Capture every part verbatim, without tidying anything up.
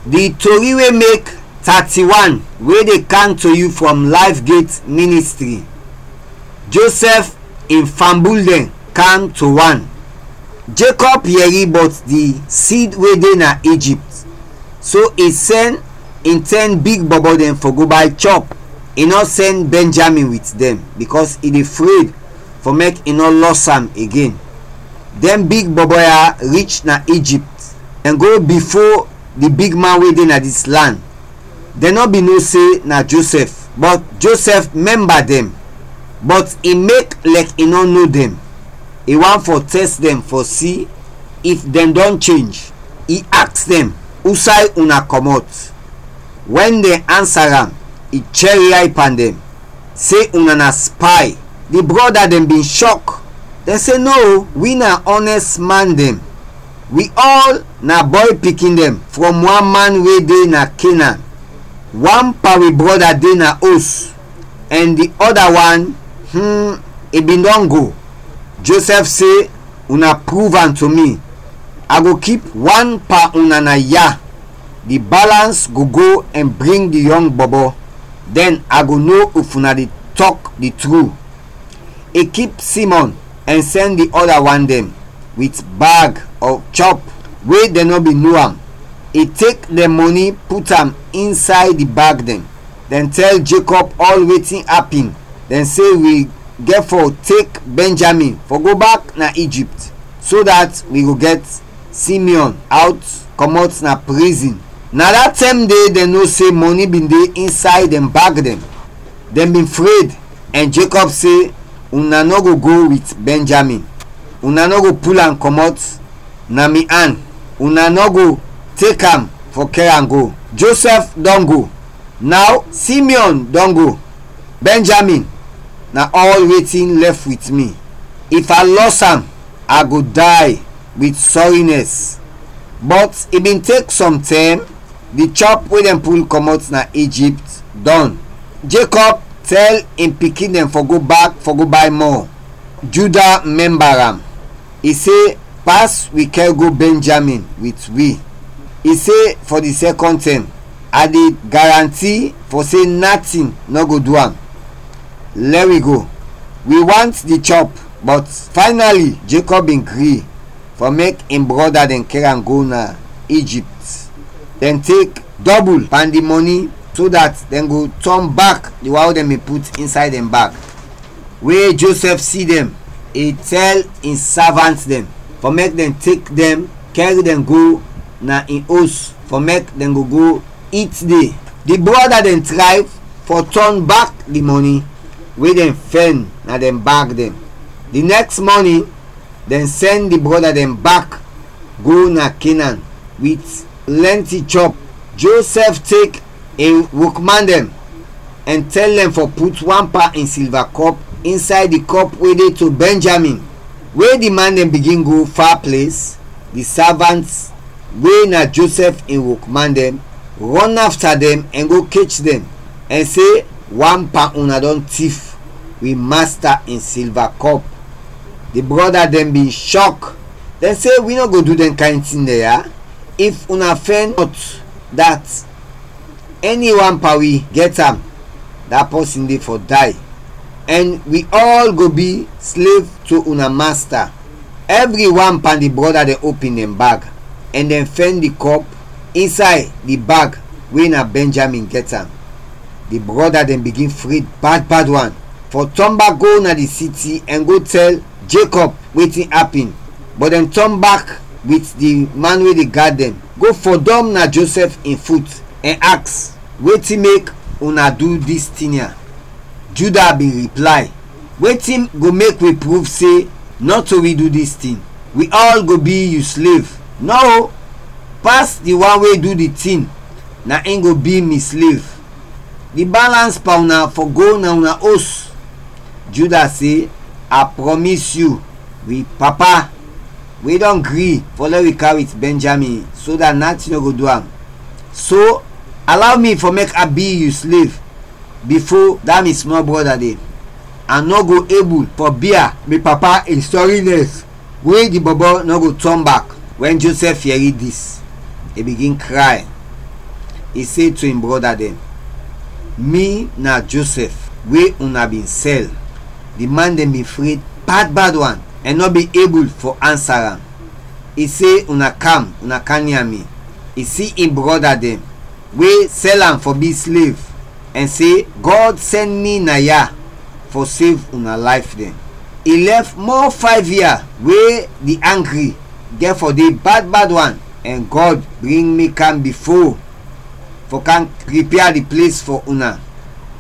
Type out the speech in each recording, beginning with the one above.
Di tori we mek thirty-one we dey kam to yu from Life Gate Ministry. Joseph in fambul dɛn kam to wan. Jacob yɛri bɔt di seed we de na Egypt, so i sɛn in ten big bɔbɔ dɛn fɔ go bay chɔp. I nɔ sɛn Benjamin wit dɛn, bikɔs i de fred fɔ mek i nɔ lɔs am igen. Dɛn big bɔbɔ ya rich na Egypt, dɛn go bifo di big man we de na dis lan. Dɛn nɔ bin no se na Josɛf, bɔt Josɛf mɛmba dɛn, bɔt i mek lɛk i nɔ no dɛn. I want fɔ tɛst dɛn fɔ si if dɛn dɔn chenj. I aks dɛn, "Usay una kɔmɔt?" Wɛn dɛn ansa am, i chɛriay pan dɛn, se, "Una na spay." Di brɔda dɛn bin shɔk. Dɛn se, "No, wi na ɔnɛst man dɛn. Wi ɔl na bɔy pikin dɛn frɔm wan man we de na Kenan. Wan pan wi brɔda de na os, ɛn di ɔda wan, hmm, i bin dɔn go." Josɛf se, "Una pruv am to mi. A go kip wan pan una na ya. Di balans go go ɛn bring di yɔng bɔbɔ. Dɛn a go no if una de tɔk di tru." I kip Simɔn ɛn sɛn di ɔda wan dɛn wit bag ɔ chɔp we dɛn nɔ bin no am. I tek dɛn mɔni put am insay di bag dɛn. Dɛn tɛl Jacob ɔl wetin apin. Dɛn se, "Wi gɛt fɔ tek Benjamin fɔ go bak na Egypt, so dat wi go gɛt Simeon out kɔmɔt na prizin." Na da tɛm de dɛn no se mɔni bin de insay dɛn bag dɛn. Dɛn bin fred, ɛn Jacob se, "Una nɔ go go wit Benjamin. Una nɔ go pul am kɔmɔt na mi an. Una nɔ go tek am fɔ kɛr am go." Josɛf dɔn go. Naw Simeon dɔn go. Benjamin na ɔl wetin lɛf wit mi. If a lɔs am, a go day wit sɔrinɛs. Bɔt i bin tek sɔm tɛm, di chɔp we dɛn pul kɔmɔt na Egypt dɔn. Jacob tɛl in pikin dɛn fɔ go bak fɔ go bay mɔ. Juda mɛmba am. I se, "Pas wi kɛr go Benjamin wit wi." I se fɔ di sɛkɔn tɛm, "A de garanti fɔ se natin nɔ go du am. Lɛ wi go. Wi want di chɔp." Bɔt faynali Jacob bin gri fɔ mek in brɔda dɛn kɛr am go na Egypt. Dɛn tek dɔbul pan di mɔni, so dat dɛn go tɔn bak di wan we dɛn bin put insay dɛn bag. We Josɛf si dɛn, i tɛl in savant dɛn fɔ mek dɛn tek dɛn kɛr dɛn go na in os fɔ mek dɛn go go it de. Di brɔda dɛn tray fɔ tɔn bak di mɔni we dɛn fɛn na dɛn bag dɛn. Di nɛks mɔnin, dɛn sɛn di brɔda dɛn bak go na Kenan wit plɛnti chɔp. Josɛf tek in wokman dɛn ɛn tɛl dɛn fɔ put wan pa in silva kɔp insay di kɔp we de to Benjamin. We di man dɛn bigin go fa ples, di savant we na Josɛf in wokman dɛn rɔn afta dɛn ɛn go kech dɛn, ɛn se, "Wan pan una dɔn tif wi masta in silva kɔp." Di brɔda dɛn bin shɔk. Dɛn se, "Wi nɔ go du dɛn kayn tin dɛn ya. If una fɛn nɔt dat, ɛni wan pan wi gɛt am, da pɔsin de fɔ day, ɛn wi ɔl go bi slev to una masta." Ɛvri wan pan di brɔda dɛn opin dɛn bag, ɛn dɛn fɛn di kɔp insay di bag we na Benjamin gɛt am. Di brɔda dɛn bigin fred bad bad wan, fɔ tɔn bak go na di siti ɛn go tɛl Jacob wetin apin. Bɔt dɛn tɔn bak wit di man we de gad dɛn, go fɔdɔm na Josɛf in fut, ɛn aks, "Wetin mek una du dis tin ya?" Juda bin riplay, "Wetin go mek wi pruv se nɔto wi du dis tin? Wi ɔl go bi yu slev. Nɔ o, pas di wan we du di tin, na in go bi mi slev. Di balans pan una fɔ go na una os." Juda se, "A prɔmis yu, wi papa, wi dɔn gri fɔ lɛ wi kam wit Benjamin, so dat natin nɔ go du am. So, alaw mi fɔ mek a bi yu slev bifo da mi smɔl brɔda de. A nɔ go ebul fɔ bia mi papa in sɔrinɛs we di bɔbɔ nɔ go tɔn bak." Wɛn Josɛf yɛri dis, i bigin kray. I se to in brɔda dɛn, "Mi na Josɛf we una bin sɛl." Di man dɛn bin fred bad bad wan ɛn nɔ bin ebul fɔ ansa am. I se, "Una kam, una kam nia mi." I si in brɔda dɛn we sɛl am fɔ bi slev, ɛn se, "Gɔd sɛn mi naya fɔ sev una layf dɛn." I lɛf mɔ fayv yia we di angri gɛt fɔ de bad bad wan, ɛn Gɔd bring mi kam bifo fɔ kam pripia di ples fɔ una.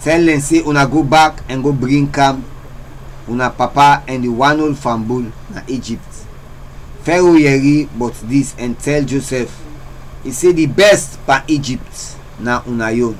Tɛl dɛn se una go bak ɛn go bring kam una papa ɛn di wan ol fambul na Ijipt. Fɛro yɛri bɔt dis ɛn tɛl Josɛf, i se, "Di bɛst pan Ijipt na una yon."